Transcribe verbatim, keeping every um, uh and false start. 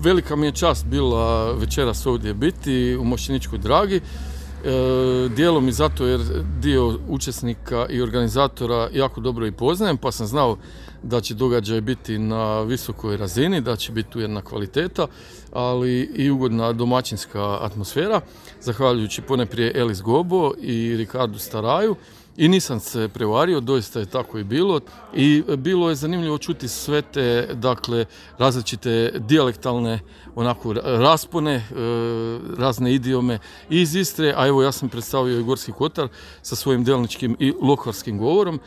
velika mi je čast bila večeras ovdje biti u Mošćeničkoj Dragi. E, dijelom i zato jer dio učesnika i organizatora jako dobro i poznajem, pa sam znao da će događaj biti na visokoj razini, da će biti tu jedna kvaliteta, ali i ugodna domaćinska atmosfera, zahvaljujući poneprije Elis Gobo i Ricardu Staraju. I nisam se prevario, doista je tako i bilo. I bilo je zanimljivo čuti sve te, dakle, različite dijalektalne onako raspone, razne idiome iz Istre, a evo ja sam predstavio i Gorski Kotar sa svojim delničkim i lokvarskim govorom.